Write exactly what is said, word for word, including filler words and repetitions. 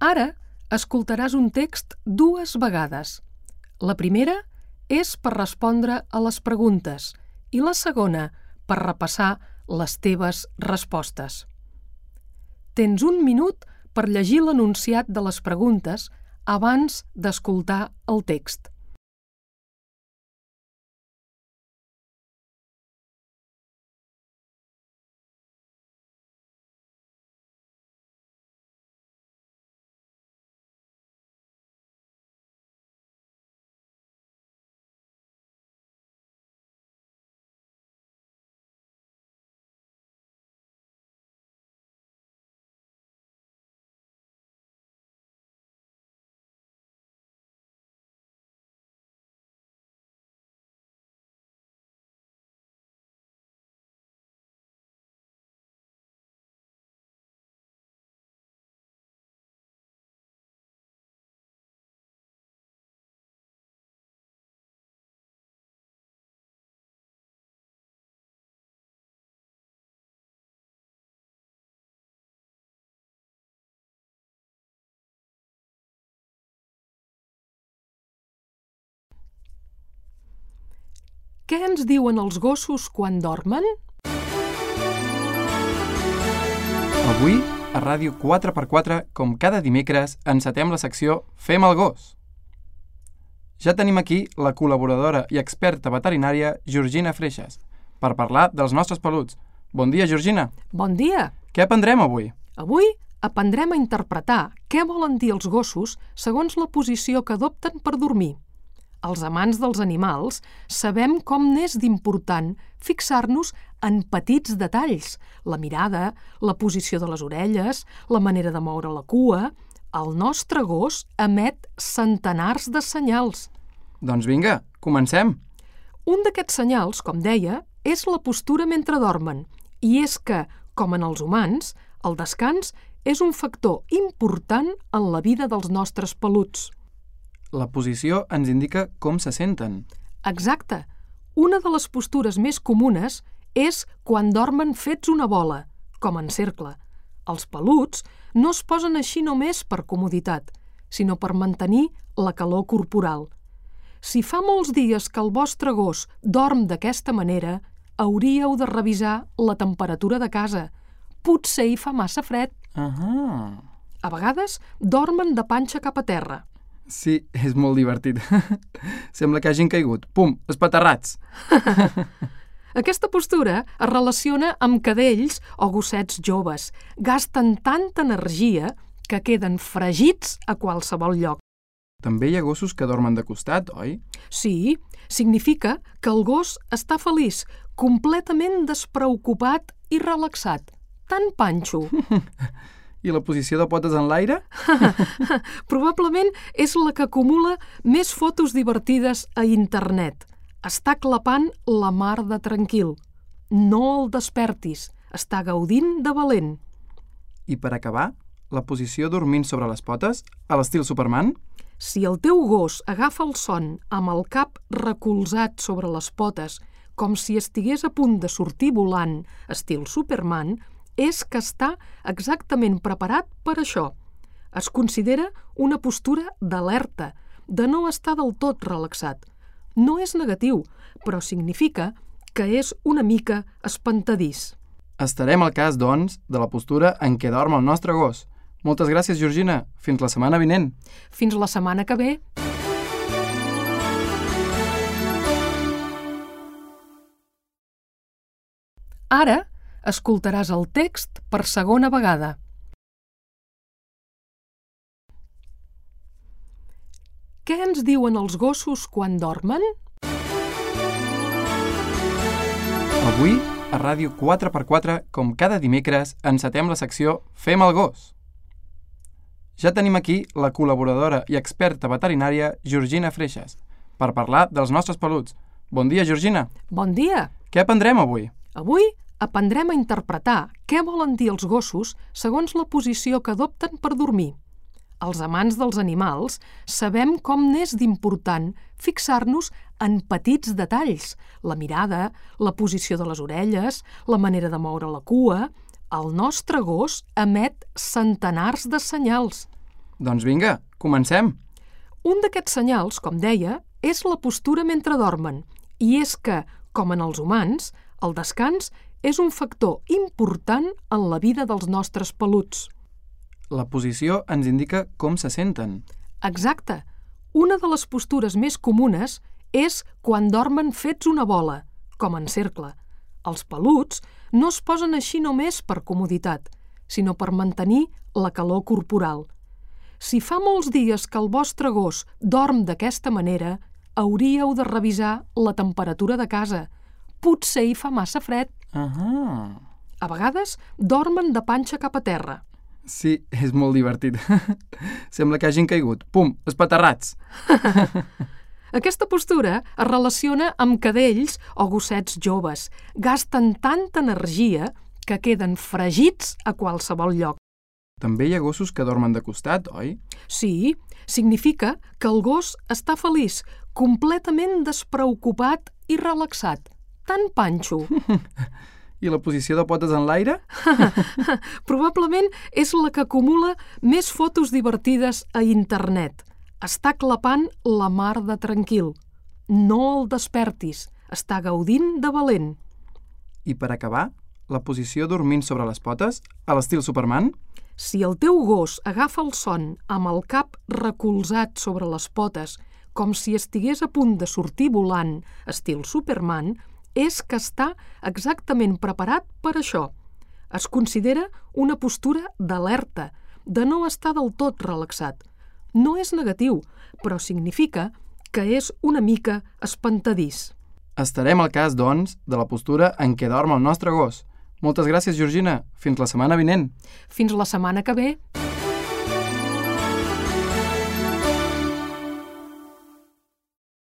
Ara escoltaràs un text dues vegades. La primera és per respondre a les preguntes i la segona per repassar les teves respostes. Tens un minut per llegir l'enunciat de les preguntes abans d'escoltar el text. Què ens diuen els gossos quan dormen? Avui, a Ràdio quatre per quatre, com cada dimecres, encetem la secció Fem el gos. Ja tenim aquí la col·laboradora i experta veterinària Georgina Freixas per parlar dels nostres peluts. Bon dia, Georgina. Bon dia. Què aprendrem avui? Avui aprendrem a interpretar què volen dir els gossos segons la posició que adopten per dormir. Els amants dels animals sabem com n'és d'important fixar-nos en petits detalls, la mirada, la posició de les orelles, la manera de moure la cua. El nostre gos emet centenars de senyals. Doncs vinga, comencem. Un d'aquests senyals, com deia, és la postura mentre dormen, i és que, com en els humans, el descans és un factor important en la vida dels nostres peluts. La posició ens indica com se senten. Exacte. Una de les postures més comunes és quan dormen fets una bola, com en cercle. Els peluts no es posen així només per comoditat, sinó per mantenir la calor corporal. Si fa molts dies que el vostre gos dorm d'aquesta manera, hauríeu de revisar la temperatura de casa. Potser hi fa massa fred. Ahà. A vegades dormen de panxa cap a terra. Sí, és molt divertit. Sembla que hagin caigut. Pum, espaterrats. Aquesta postura es relaciona amb cadells o gossets joves. Gasten tanta energia que queden fregits a qualsevol lloc. També hi ha gossos que dormen de costat, oi? Sí, significa que el gos està feliç, completament despreocupat i relaxat. Tan panxo. I la posició de potes en l'aire? Probablement és la que acumula més fotos divertides a internet. Està clapant la mar de tranquil. No el despertis, està gaudint de valent. I per acabar, la posició dormint sobre les potes, a l'estil Superman? Si el teu gos agafa el son amb el cap recolzat sobre les potes, com si estigués a punt de sortir volant, estil Superman, és que està exactament preparat per això. Es considera una postura d'alerta, de no estar del tot relaxat. No és negatiu, però significa que és una mica espantadís. Estarem al cas, doncs, de la postura en què dorm el nostre gos. Moltes gràcies, Georgina. Fins la setmana vinent. Fins la setmana que ve. Ara escoltaràs el text per segona vegada. Què ens diuen els gossos quan dormen? Avui, a Ràdio quatre per quatre, com cada dimecres, encetem la secció Fem el gos. Ja tenim aquí la col·laboradora i experta veterinària Georgina Freixas per parlar dels nostres peluts. Bon dia, Georgina. Bon dia. Què aprendrem avui? Avui aprendrem a interpretar què volen dir els gossos segons la posició que adopten per dormir. Els amants dels animals sabem com n'és d'important fixar-nos en petits detalls, la mirada, la posició de les orelles, la manera de moure la cua. El nostre gos emet centenars de senyals. Doncs vinga, comencem. Un d'aquests senyals, com deia, és la postura mentre dormen, i és que, com en els humans, el descans és un factor important en la vida dels nostres peluts. La posició ens indica com se senten. Exacte. Una de les postures més comunes és quan dormen fets una bola, com en cercle. Els peluts no es posen així només per comoditat, sinó per mantenir la calor corporal. Si fa molts dies que el vostre gos dorm d'aquesta manera, hauríeu de revisar la temperatura de casa. Potser hi fa massa fred. Ahà. A vegades dormen de panxa cap a terra. Sí, és molt divertit. Sembla que hagin caigut. Pum, espaterrats. Aquesta postura es relaciona amb cadells o gossets joves. Gasten tanta energia que queden fregits a qualsevol lloc. També hi ha gossos que dormen de costat, oi? Sí, significa que el gos està feliç, completament despreocupat i relaxat. Tan panxo. I la posició de potes en l'aire? Probablement és la que acumula més fotos divertides a internet. Està clapant la mar de tranquil. No el despertis, està gaudint de valent. I per acabar, la posició dormint sobre les potes, a l'estil Superman? Si el teu gos agafa el son amb el cap recolzat sobre les potes, com si estigués a punt de sortir volant, estil Superman, és que està exactament preparat per això. Es considera una postura d'alerta, de no estar del tot relaxat. No és negatiu, però significa que és una mica espantadís. Estarem al cas, doncs, de la postura en què dorm el nostre gos. Moltes gràcies, Georgina. Fins la setmana vinent. Fins la setmana que ve.